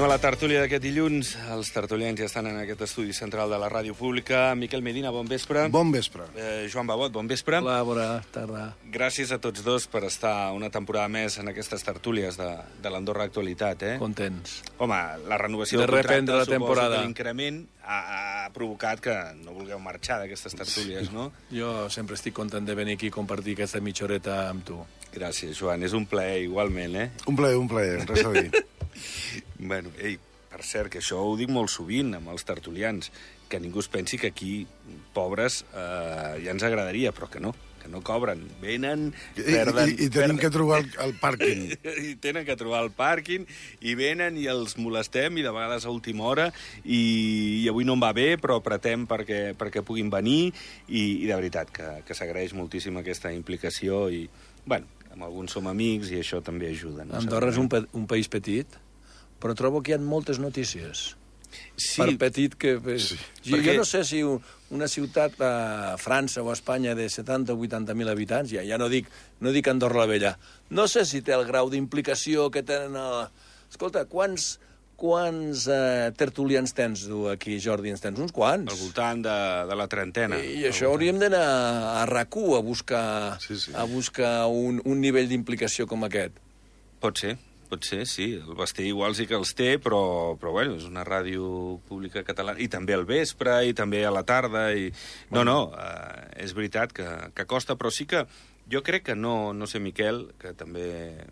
a la tertúlia d'aquest dilluns. Els tertulians ja estan en aquest estudi central de la ràdio pública. Miquel Medina, bon vespre. Bon vespre. Joan Babot, bon vespre. Hola, bona tarda. Gràcies a tots dos per estar una temporada més en aquestes tertúlies de l'Andorra Actualitat. Contents. Home, la renovació del contracte la temporada. Suposo que l'increment ha provocat que no vulgueu marxar d'aquestes tertúlies, no? Jo sempre estic content de venir aquí i compartir aquesta mitja horeta amb tu. Gràcies, Joan. És un plaer, igualment, Un plaer, res a dir. Bueno, per cert, que això ho dic molt sovint amb els tertulians, que ningú es pensi que aquí, pobres, ja ens agradaria, però que no cobren. Venen, perden... I tenen que trobar el pàrquing. I tenen que trobar el pàrquing, i venen i els molestem, i de vegades a última hora, i avui no em va bé, però apretem perquè puguin venir, i de veritat que s'agraeix moltíssim aquesta implicació, i, bueno, amb alguns som amics, i això també ajuda. No? Andorra és un país petit, però trobo que hi ha moltes notícies. Sí. Per petit que... Sí. Jo no sé si una ciutat a França o a Espanya de 70 o 80.000 habitants, ja no dic Andorra la Vella, no sé si té el grau d'implicació que tenen... Escolta, quants tertulians tens tu aquí, Jordi? En tens uns quants? Al voltant de la trentena. I això hauríem d'anar a RAC1 a buscar un nivell d'implicació com aquest. Pot ser, sí. El Basté igual sí que els té, però bueno, és una ràdio pública catalana. I també al vespre, i també a la tarda. És veritat que costa, però sí que jo crec que no sé, Miquel, que també...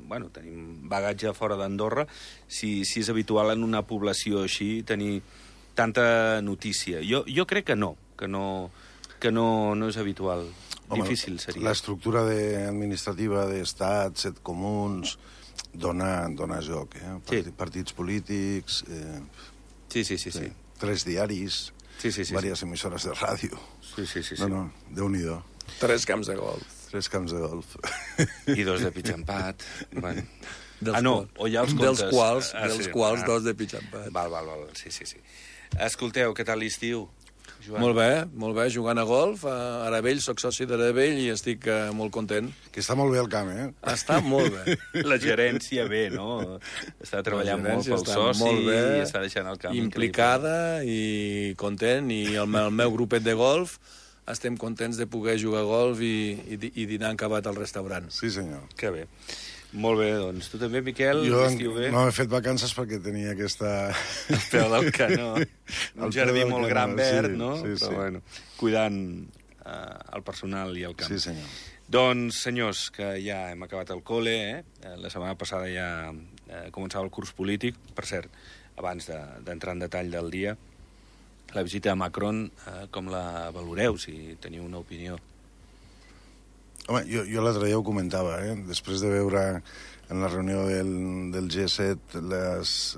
Bueno, tenim bagatge fora d'Andorra, si és habitual en una població així tenir tanta notícia. Jo crec que no és habitual. Home, difícil seria. L'estructura administrativa d'estat, 7 comuns, dona joc, Sí. Partits polítics... Sí. 3 diaris, diverses emissores de ràdio. Sí. No, Déu-n'hi-do. 3 camps de golf. 3 camps de golf. I 2 de pitch empat. Bueno. O ja els comptes. Dels quals 2 de pitch empat. Val. Sí. Escolteu, què tal l'estiu, Joan? Molt bé, jugant a golf. A Aravell, soc soci d'Aravell i estic molt content. Que està molt bé el camp, Està molt bé. La gerència bé, no? Està treballant molt pel soci i està deixant el camp implicada i content, i el meu grupet de golf estem contents de poder jugar a golf i dinar acabat al restaurant. Sí, senyor. Que bé. Molt bé, doncs. Tu també, Miquel, l'estiu bé? No he fet vacances perquè tenia aquesta... El peu del canó. Un jardí molt gran verd, no? Sí. Però, bueno, cuidant el personal i el camp. Sí, senyor. Doncs, senyors, que ja hem acabat el col·le, La setmana passada ja començava el curs polític. Per cert, abans d'entrar en detall del dia, la visita a Macron, com la valoreu, si teniu una opinió? Home, jo l'altre dia ho comentava, després de veure en la reunió del G7 les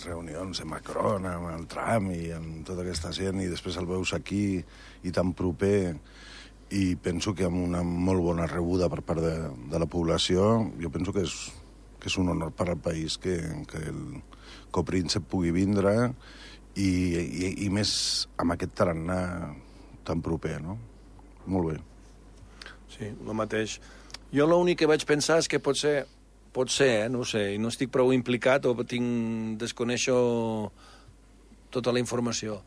reunions de Macron amb el Trump i amb tota aquesta gent, i després el veus aquí i tan proper, i penso que amb una molt bona rebuda per part de la població, jo penso que és un honor per al país que el copríncep pugui vindre i més amb aquest tarannà tan proper, no? Molt bé. Sí, el mateix. Jo l'únic que vaig pensar és que pot ser, no ho sé, i no estic prou implicat o desconeixo tota la informació,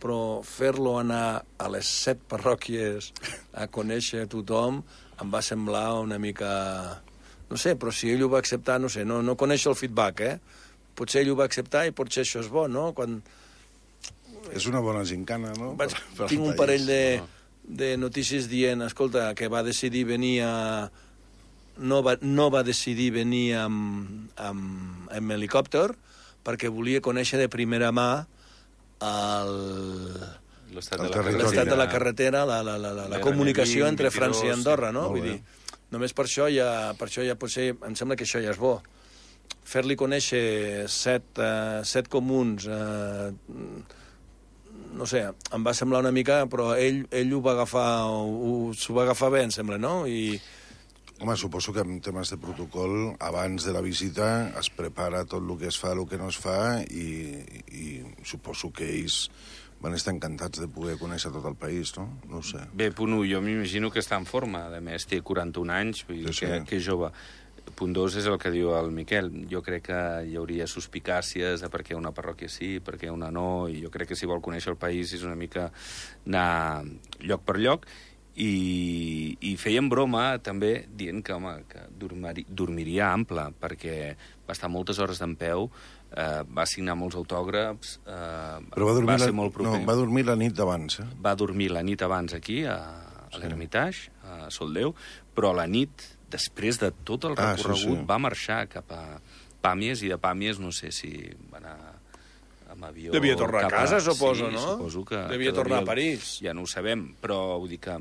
però fer-lo anar a les 7 parròquies a conèixer tothom em va semblar una mica... No sé, però si ell ho va acceptar, no sé, no coneixo el feedback, Potser ell ho va acceptar i potser això és bo, no? És una bona gincana, no? Tinc un parell de notícies dient, escolta, que va decidir venir no va decidir venir amb helicòpter perquè volia conèixer de primera mà l'estat de la carretera, la comunicació entre França i Andorra, no? Vull dir, només per això ja potser em sembla que això ja és bo. Fer-li conèixer 7 comuns, no sé, em va semblar una mica, però ell s'ho va agafar bé, em sembla, no? Home, suposo que en temes de protocol, abans de la visita es prepara tot el que es fa, el que no es fa, i suposo que ells van estar encantats de poder conèixer tot el país, no? No ho sé. Bé, punt 1, jo m'imagino que està en forma. A més, té 41 anys, vull dir que és jove. punt 2 és el que diu el Miquel. Jo crec que hi hauria suspicàcies de per què una parròquia sí, per què una no, i jo crec que si vol conèixer el país és una mica anar lloc per lloc, i feien broma també dient que, home, que dormiria ample, perquè va estar moltes hores d'empeu, va signar molts autògrafs, Però va ser molt proper. No, va dormir la nit d'abans, Va dormir la nit abans aquí, a l'Hermitage, a Soldeu, però la nit, després de tot el recorregut, va marxar cap a Pàmies, i de Pàmies no sé si va anar amb avió... Devia tornar a casa, suposo, sí, no? Suposo que... Devia tornar a París. Ja no ho sabem, però vull dir que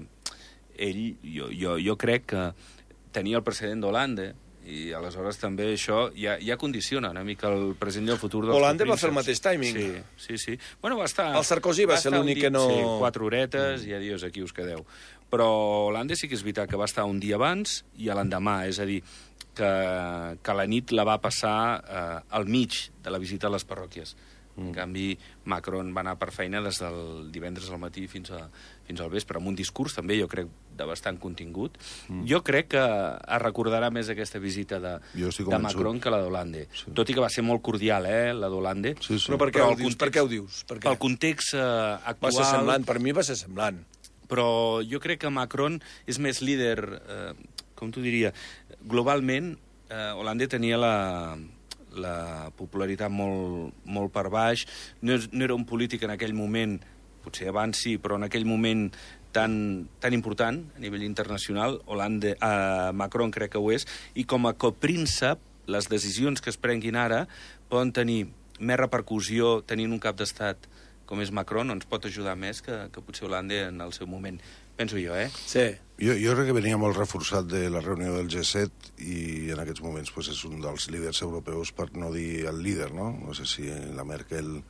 ell, jo crec que tenia el precedent d'Holanda, i aleshores també això ja condiciona una mica el present i el futur dels Holanda va coprínceps. fer el mateix timing. Sí. Bueno, va estar... El Sarkozy va ser l'únic que no... Sí, 4 horetes i adiós, aquí us quedeu. Però Holanda sí que és veritat que va estar un dia abans i a l'endemà, és a dir, que la nit la va passar al mig de la visita a les parròquies. En canvi, Macron va anar per feina des del divendres al matí fins al vespre, amb un discurs també, jo crec, de bastant contingut. Jo crec que es recordarà més aquesta visita de Macron que la d'Hollande. Sí. Tot i que va ser molt cordial, la d'Hollande. Sí. Però per què ho dius? Pel context actual... Va ser semblant, per mi va ser semblant. Però jo crec que Macron és més líder, com t'ho diria, globalment. Hollande tenia la popularitat molt per baix, no era un polític en aquell moment, potser abans sí, però en aquell moment tan important a nivell internacional. Macron crec que ho és, i com a copríncep, les decisions que es prenguin ara poden tenir més repercussió tenint un cap d'estat com és Macron, ens pot ajudar més que potser Hollande en el seu moment. Penso jo, Sí. Jo crec que venia molt reforçat de la reunió del G7 i en aquests moments pues, és un dels líders europeus, per no dir el líder, no? No sé si la Merkel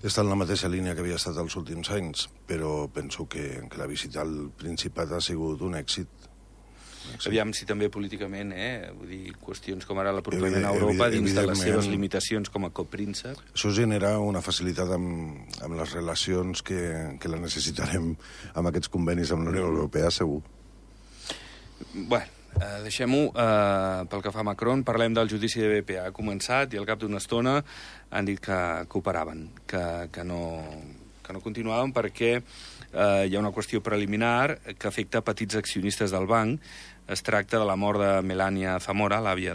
està en la mateixa línia que havia estat els últims anys, però penso que la visita al Principat ha sigut un èxit. Aviam si també políticament, vull dir, qüestions com ara l'apropament a Europa dins de les seves limitacions com a copríncep. Això genera una facilitat amb les relacions que la necessitarem amb aquests convenis amb la Unió Europea, segur. Bueno, deixem-ho. Pel que fa a Macron, parlem del judici de BP. Ha començat i al cap d'una estona han dit que operaven, que no continuaven perquè hi ha una qüestió preliminar que afecta petits accionistes del banc. Es tracta de la mort de Melania Zamora, l'àvia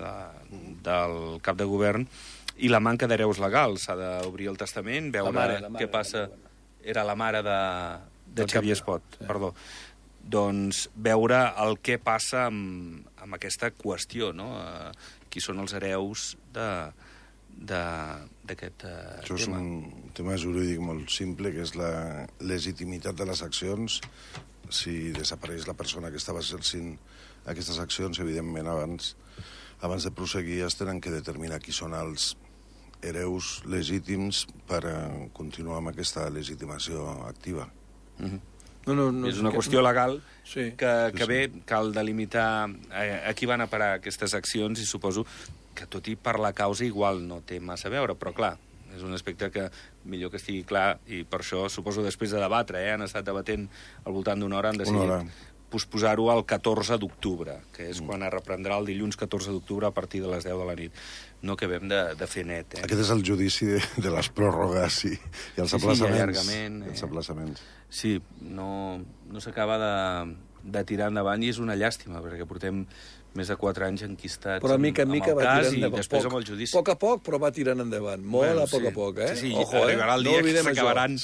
del cap de govern, i la manca d'hereus legals. S'ha d'obrir el testament, veure què passa... Era la mare de Xavier Espot, perdó. Doncs veure el que passa amb aquesta qüestió, no? Qui són els hereus d'aquest tema. Això és un tema jurídic molt simple, que és la legitimitat de les accions. Si desapareix la persona que estava exercint aquestes accions, evidentment, abans de proseguir es tenen que determinar qui són els hereus legítims per continuar amb aquesta legitimació activa. No, és una qüestió legal que bé, cal delimitar a qui van a parar aquestes accions, i suposo que tot i per la causa igual no té massa a veure, però clar, és un aspecte que millor que estigui clar, i per això suposo després de debatre, han estat debatent al voltant d'una hora, han decidit posposar-ho al 14 d'octubre, que és quan es reprendrà el dilluns 14 d'octubre a partir de les 10 de la nit. No acabem de fer net. Aquest és el judici de les pròrrogues i els aplaçaments. Els aplaçaments. Sí, no s'acaba de tirar endavant, i és una llàstima, perquè portem més de 4 anys enquistats però mica en mica amb el va cas, tirant endavant. I després amb el judici. A poc a poc, però va tirant endavant. Molt a poc, Sí, arribarà el dia que s'acabaran...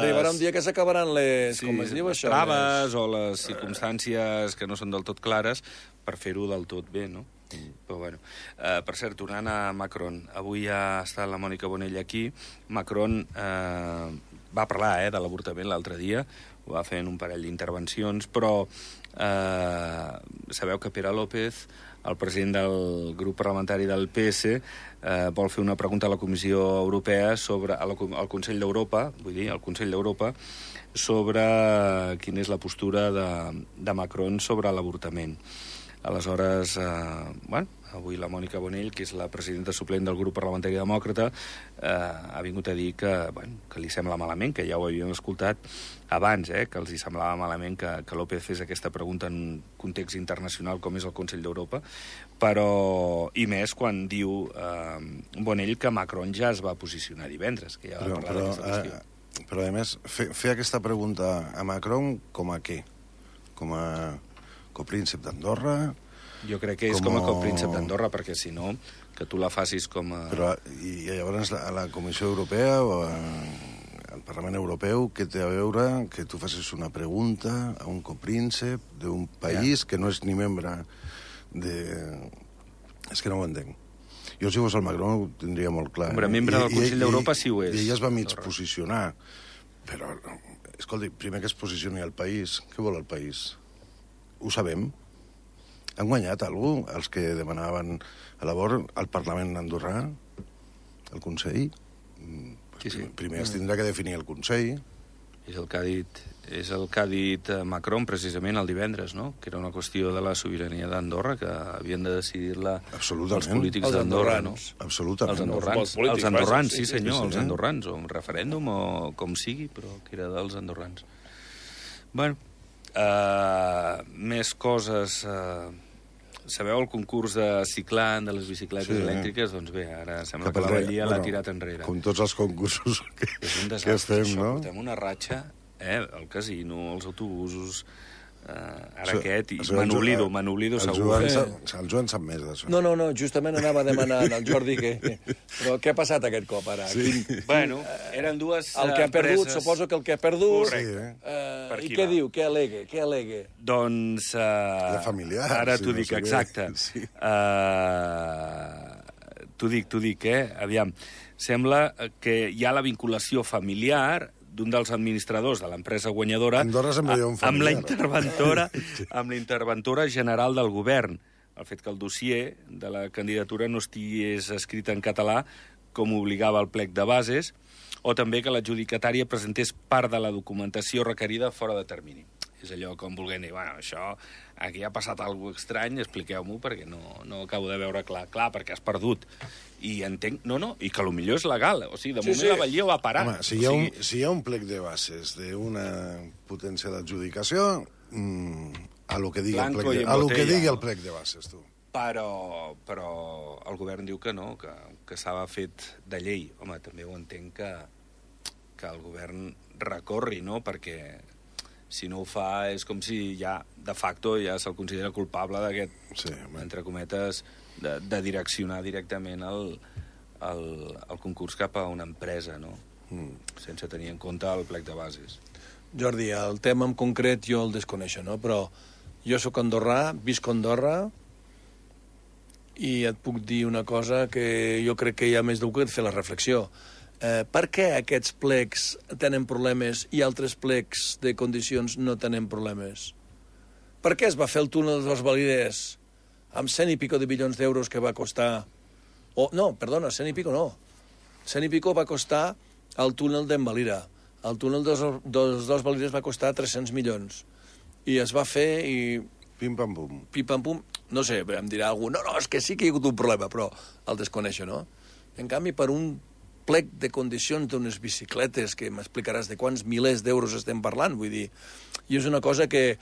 Arribarà un dia que s'acabaran les... com es diu això? Les traves o les circumstàncies que no són del tot clares per fer-ho del tot bé, no? Però bueno. Per cert, tornant a Macron, avui ha estat la Mònica Bonell aquí. Macron va parlar de l'avortament l'altre dia, ho va fer en un parell d'intervencions, però sabeu que Pere López, el president del grup parlamentari del PS, vol fer una pregunta a la Comissió Europea sobre al Consell d'Europa, vull dir, al Consell d'Europa, sobre quina és la postura de Macron sobre l'avortament. Aleshores, avui la Mònica Bonell, que és la presidenta suplent del grup parlamentari demòcrata, ha vingut a dir que li sembla malament, que ja ho havíem escoltat abans, que els hi semblava malament que López fes aquesta pregunta en un context internacional com és el Consell d'Europa, però, i més quan diu Bonell que Macron ja es va posicionar divendres, que ja va parlar d'aquesta qüestió. Però, a més, fer aquesta pregunta a Macron com a què? Com a copríncep d'Andorra? Jo crec que és com a copríncep d'Andorra, perquè si no, que tu la facis com a... Però, i llavors a la Comissió Europea o al Parlament Europeu, què té a veure que tu facis una pregunta a un copríncep d'un país que no és ni membre de... És que no ho entenc. Jo, si fos el Macron, ho tindria molt clar. Hombre, membre del Consell d'Europa sí ho és. I ella es va mig posicionar. Però, escolti, primer que es posicioni el país. Què vol el país? Ho sabem. Han guanyat algú els que demanaven a labor al Parlament andorrà, al Consell? Sí. Primer es tindrà que definir el Consell. És el que ha dit Macron precisament el divendres, no? Que era una qüestió de la sobirania d'Andorra, que havien de decidir-la els polítics d'Andorra, no? Absolutament. Els andorrans, sí senyor, els andorrans, o un referèndum, o com sigui, però que era dels andorrans. Bueno, més coses... Sabeu el concurs de ciclant, de les bicicletes elèctriques? Doncs bé, ara sembla que la Vallia l'ha tirat enrere. Com tots els concursos que estem, no? Portem una ratxa, el casino, els autobusos, ara aquest, i me n'oblido segur. El Joan sap més d'això. No, justament anava a demanar al Jordi que... Però què ha passat aquest cop, ara? Bueno, eren dues el que ha perdut, suposo que el que ha perdut... Correcte. I què diu? Què al·legue? Doncs... La familiar. Ara t'ho dic, exacte. T'ho dic, Aviam. Sembla que hi ha la vinculació familiar d'un dels administradors de l'empresa guanyadora amb la interventora general del govern. El fet que el dossier de la candidatura no estigués escrit en català com obligava el plec de bases, o també que l'adjudicatària presentés part de la documentació requerida fora de termini. És allò com volent dir, bueno, això, aquí ha passat alguna cosa estrany, expliqueu-m'ho, perquè no acabo de veure clar, perquè has perdut. I entenc... No, i que potser és legal. O sigui, de moment la Vallia va parar. Home, si hi ha un plec de bases d'una potència d'adjudicació, a lo que digui el plec de bases, tu. Però el govern diu que no, que s'ha fet de llei. Home, també ho entenc que el govern recorri, no?, perquè si no ho fa és com si ja, de facto, ja se'l considera culpable d'aquest, entre cometes, de direccionar directament el concurs cap a una empresa, no? Sense tenir en compte el plec de bases. Jordi, el tema en concret jo el desconeixo, no? Però jo sóc andorrà, visc a Andorra, i et puc dir una cosa que jo crec que hi ha més d'algú que et fer la reflexió. Per què aquests plecs tenen problemes i altres plecs de condicions no tenen problemes? Per què es va fer el túnel de les Valides amb 100 i pico de milions d'euros que va costar... No, perdona, 100 i pico no. 100 i pico va costar el túnel d'Envalira. El túnel dels dos Valides va costar 300 milions. I es va fer i... Pim-pam-pum. Pim-pam-pum. No sé, em dirà algú, no, és que sí que hi ha hagut un problema, però el desconeixo, no? En canvi, per un plec de condicions d'unes bicicletes que m'explicaràs de quants milers d'euros estem parlant, vull dir, i és una cosa que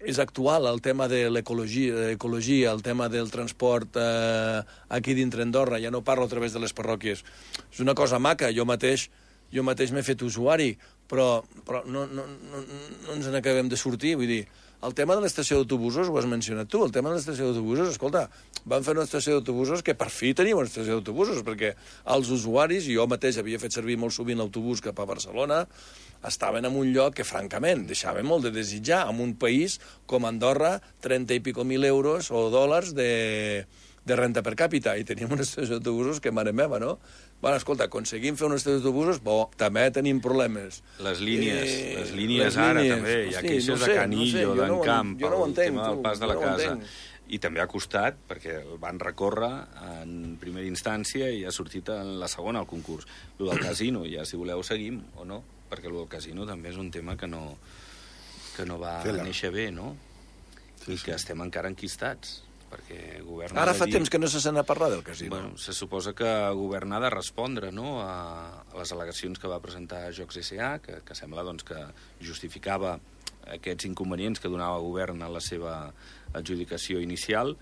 és actual, el tema de l'ecologia, el tema del transport aquí dintre Andorra, ja no parlo a través de les parròquies, és una cosa maca, jo mateix m'he fet usuari, però no ens n'acabem de sortir, vull dir, el tema de l'estació d'autobusos, ho has mencionat tu, el tema de l'estació d'autobusos, escolta, van fer una estació d'autobusos que per fi teníem una estació d'autobusos, perquè els usuaris, i jo mateix havia fet servir molt sovint l'autobús cap a Barcelona, estaven en un lloc que, francament, deixava molt de desitjar, en un país com Andorra, 30 i pico mil euros o dòlars de renta per càpita, i teníem una estació d'autobusos que mare meva, no? Bueno, escolta, aconseguim fer una estació d'autobusos, també tenim problemes. Les línies ara també, hi ha queixes de Canillo, d'Encamp, el tema del pas de la casa. I també ha costat, perquè el van recórrer en primera instància i ha sortit en la segona al concurs. Lo del casino, ja si voleu seguim o no, perquè lo del casino també és un tema que no va néixer bé, no? I que estem encara enquistats. perquè governar... Ara fa temps que no se sent a parlar del casino. Bueno, se suposa que governar ha de respondre, no?, a les al·legacions que va presentar Jocs S.A., que sembla doncs, que justificava aquests inconvenients que donava el govern a la seva adjudicació inicial,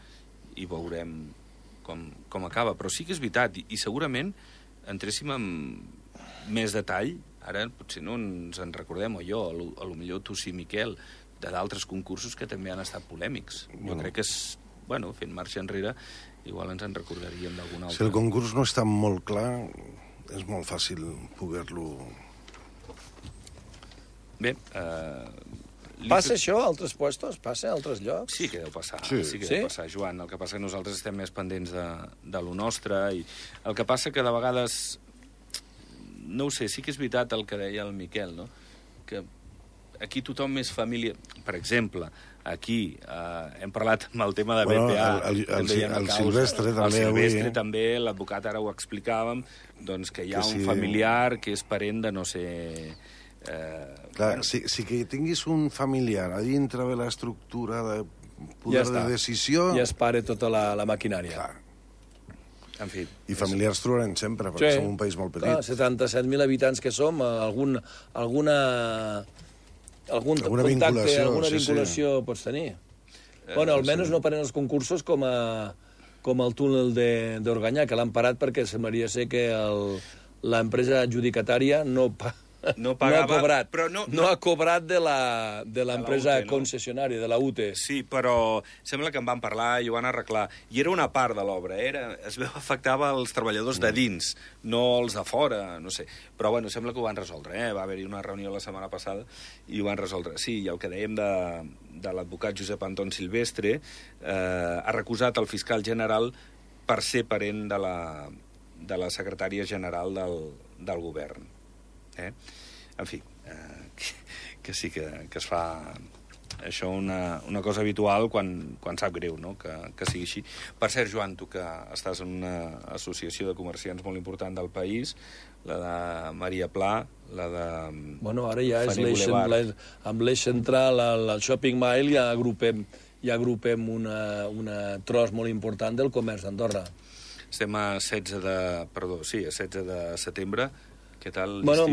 i veurem com acaba. Però sí que és veritat, i segurament entréssim en més detall, ara potser no ens en recordem, o jo, a lo millor tu sí, Miquel, de d'altres concursos que també han estat polèmics. Jo crec que és, bueno, fent marxa enrere, igual ens en recordaríem d'algun altre. Si el concurs no està molt clar, és molt fàcil poder-lo... Bé, Passa això a altres puestos? Passa a altres llocs? sí que deu passar, Sí. deu passar, Joan. El que passa que nosaltres estem més pendents de lo nostre, i el que passa que de vegades, no ho sé, sí que és veritat el que deia el Miquel, no?, que aquí tothom és família. Per exemple, aquí hem parlat amb el tema de BPA. El Silvestre també el avui... Silvestre també, l'advocat ara ho explicàvem, doncs que hi ha un familiar que és parent de no sé... Clar, si que tinguis un familiar a dintre de l'estructura de poder de decisió... Ja es pare tota la maquinària. Clar. En fi. I familiars trobarem sempre, perquè som un país molt petit. 77.000 habitants que som, algun Alguna contacte, vinculació, alguna sí, vinculació pots tenir. Bueno, almenys no paren els concursos com el túnel d'Organyà, que l'han parat perquè semblaria ser que l'empresa adjudicatària no ha cobrat, però no ha cobrat de l'empresa concessionària, de la UTE. Sí, però sembla que en van parlar i ho van arreglar. I era una part de l'obra, es veu afectava els treballadors de dins, no els de fora, no sé. Però bueno, sembla que ho van resoldre, Va haver-hi una reunió la setmana passada i ho van resoldre. Sí, i el que dèiem de l'advocat Josep Anton Silvestre, ha recusat el fiscal general per ser parent de la secretària general del govern. En fi, que sí que es fa això una cosa habitual quan sap greu, no?, que sigui així. Per cert, Joan, tu que estàs en una associació de comerciants molt important del país, la de Maria Pla, la de... Bueno, ara ja és amb l'eix central, al Shopping Mile, ja agrupem una tros molt important del comerç d'Andorra. Estem a 16 de setembre. Què tal l'estiu? Bueno,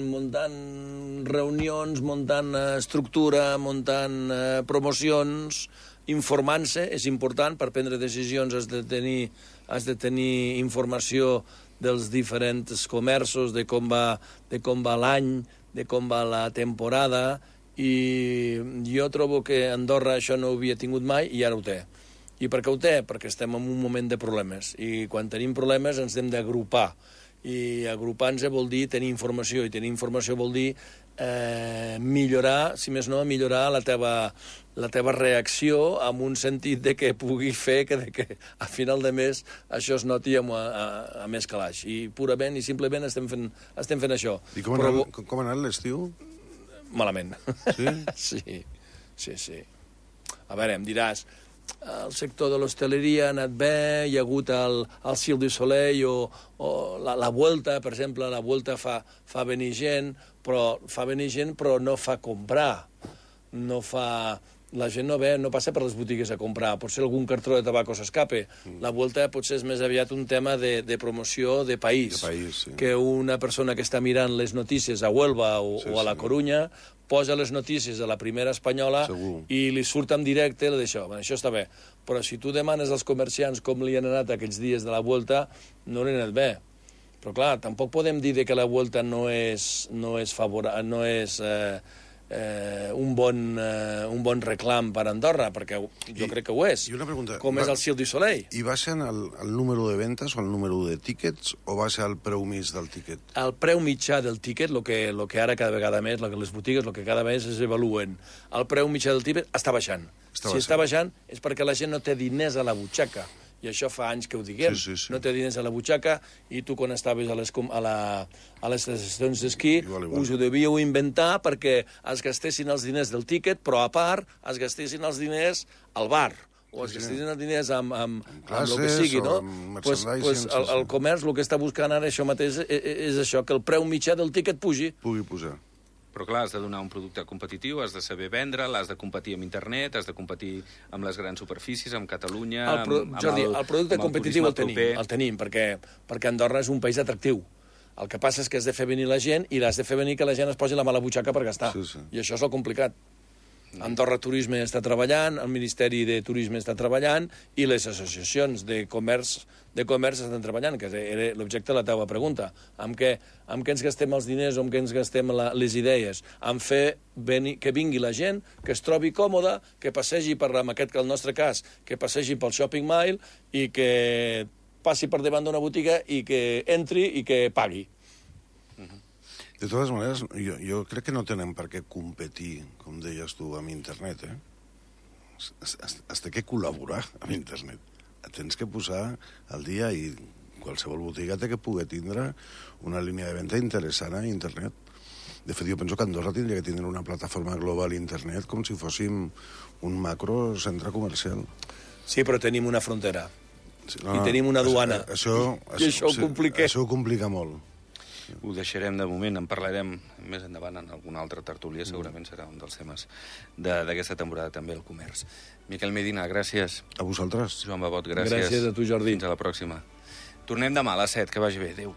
muntant reunions, muntant estructura, muntant promocions, informant-se, és important, per prendre decisions has de tenir informació dels diferents comerços, de com va l'any, de com va la temporada, i jo trobo que Andorra això no ho havia tingut mai i ara ho té. I per què ho té? Perquè estem en un moment de problemes, i quan tenim problemes ens hem d'agrupar. I agrupar-nos vol dir tenir informació, i tenir informació vol dir millorar, si més no, millorar la teva reacció amb un sentit de que pugui fer que a final de mes això es noti a més calaix. I purament i simplement estem fent això. I com ha anat l'estiu? Malament. Sí? Sí. A veure, em diràs, el sector de l'hostaleria ha anat bé, hi ha hagut el Cirque du Soleil o la Vuelta, per exemple, la Vuelta fa venir gent, però no fa comprar. La gent no ve, no passa per les botigues a comprar, potser algun cartró de tabaco s'escape. La Vuelta potser és més aviat un tema de promoció de país. Sí. Que una persona que està mirant les notícies a Huelva o a la Corunya posa les notícies a la primera espanyola i li surt en directe d'això. Bueno, això està bé, però si tu demanes als comerciants com li han anat aquests dies de la Vuelta, no li ha anat bé. Però clar, tampoc podem dir que la Vuelta no és un bon reclam per Andorra, perquè jo crec que ho és. I una pregunta, com és el Cirque du Soleil. I va ser el número de ventes o el número de tíquets o va ser el preu mig del tíquet? El preu mitjà del tíquet, el que ara cada vegada més, les botigues, el que cada vegada es evaluen, el preu mitjà del tíquet està baixant. Si està baixant és perquè la gent no té diners a la butxaca. I això fa anys que ho diguem. Sí. No té diners a la butxaca, i tu quan estaves a les estacions d'esquí us ho devíeu inventar perquè es gastessin els diners del tíquet, però a part es gastessin els diners al bar, o es gastessin els diners amb el que sigui, no? El comerç el que està buscant ara això mateix és això, que el preu mitjà del tíquet pugui pujar. Però clar, has de donar un producte competitiu, has de saber vendre, l'has de competir amb internet, has de competir amb les grans superfícies, amb Catalunya... Jordi, el producte competitiu el tenim, perquè Andorra és un país atractiu. El que passa és que has de fer venir la gent i l'has de fer venir que la gent es posi la mà a la butxaca per gastar. Sí. I això és el complicat. Andorra Turisme està treballant, el Ministeri de Turisme està treballant i les associacions de comerç estan treballant, que era l'objecte de la teva pregunta. Amb què ens gastem els diners o amb què ens gastem les idees? En fer que vingui la gent, que es trobi còmoda, que passegi per, en el nostre cas, que passegi pel shopping mall i que passi per davant d'una botiga i que entri i que pagui. De totes maneres, jo crec que no tenen per què competir, com deies tu, amb internet, Has de col·laborar amb internet. Tens que posar al dia i qualsevol botiga té que poder tindre una línia de venda interessant a internet. De fet, jo penso que Andorra tindria que tindre una plataforma global a internet com si fóssim un macro centre comercial. Sí, però tenim una frontera. I tenim una duana. I això ho complica. Això ho complica molt. Ho deixarem de moment, en parlarem més endavant en alguna altra tertúlia, segurament serà un dels temes d'aquesta temporada també, el comerç. Miquel Medina, gràcies. A vosaltres. Joan Babot, gràcies. Gràcies a tu, Jordi. Fins a la pròxima. Tornem demà a les 7, que vagi bé. Adéu.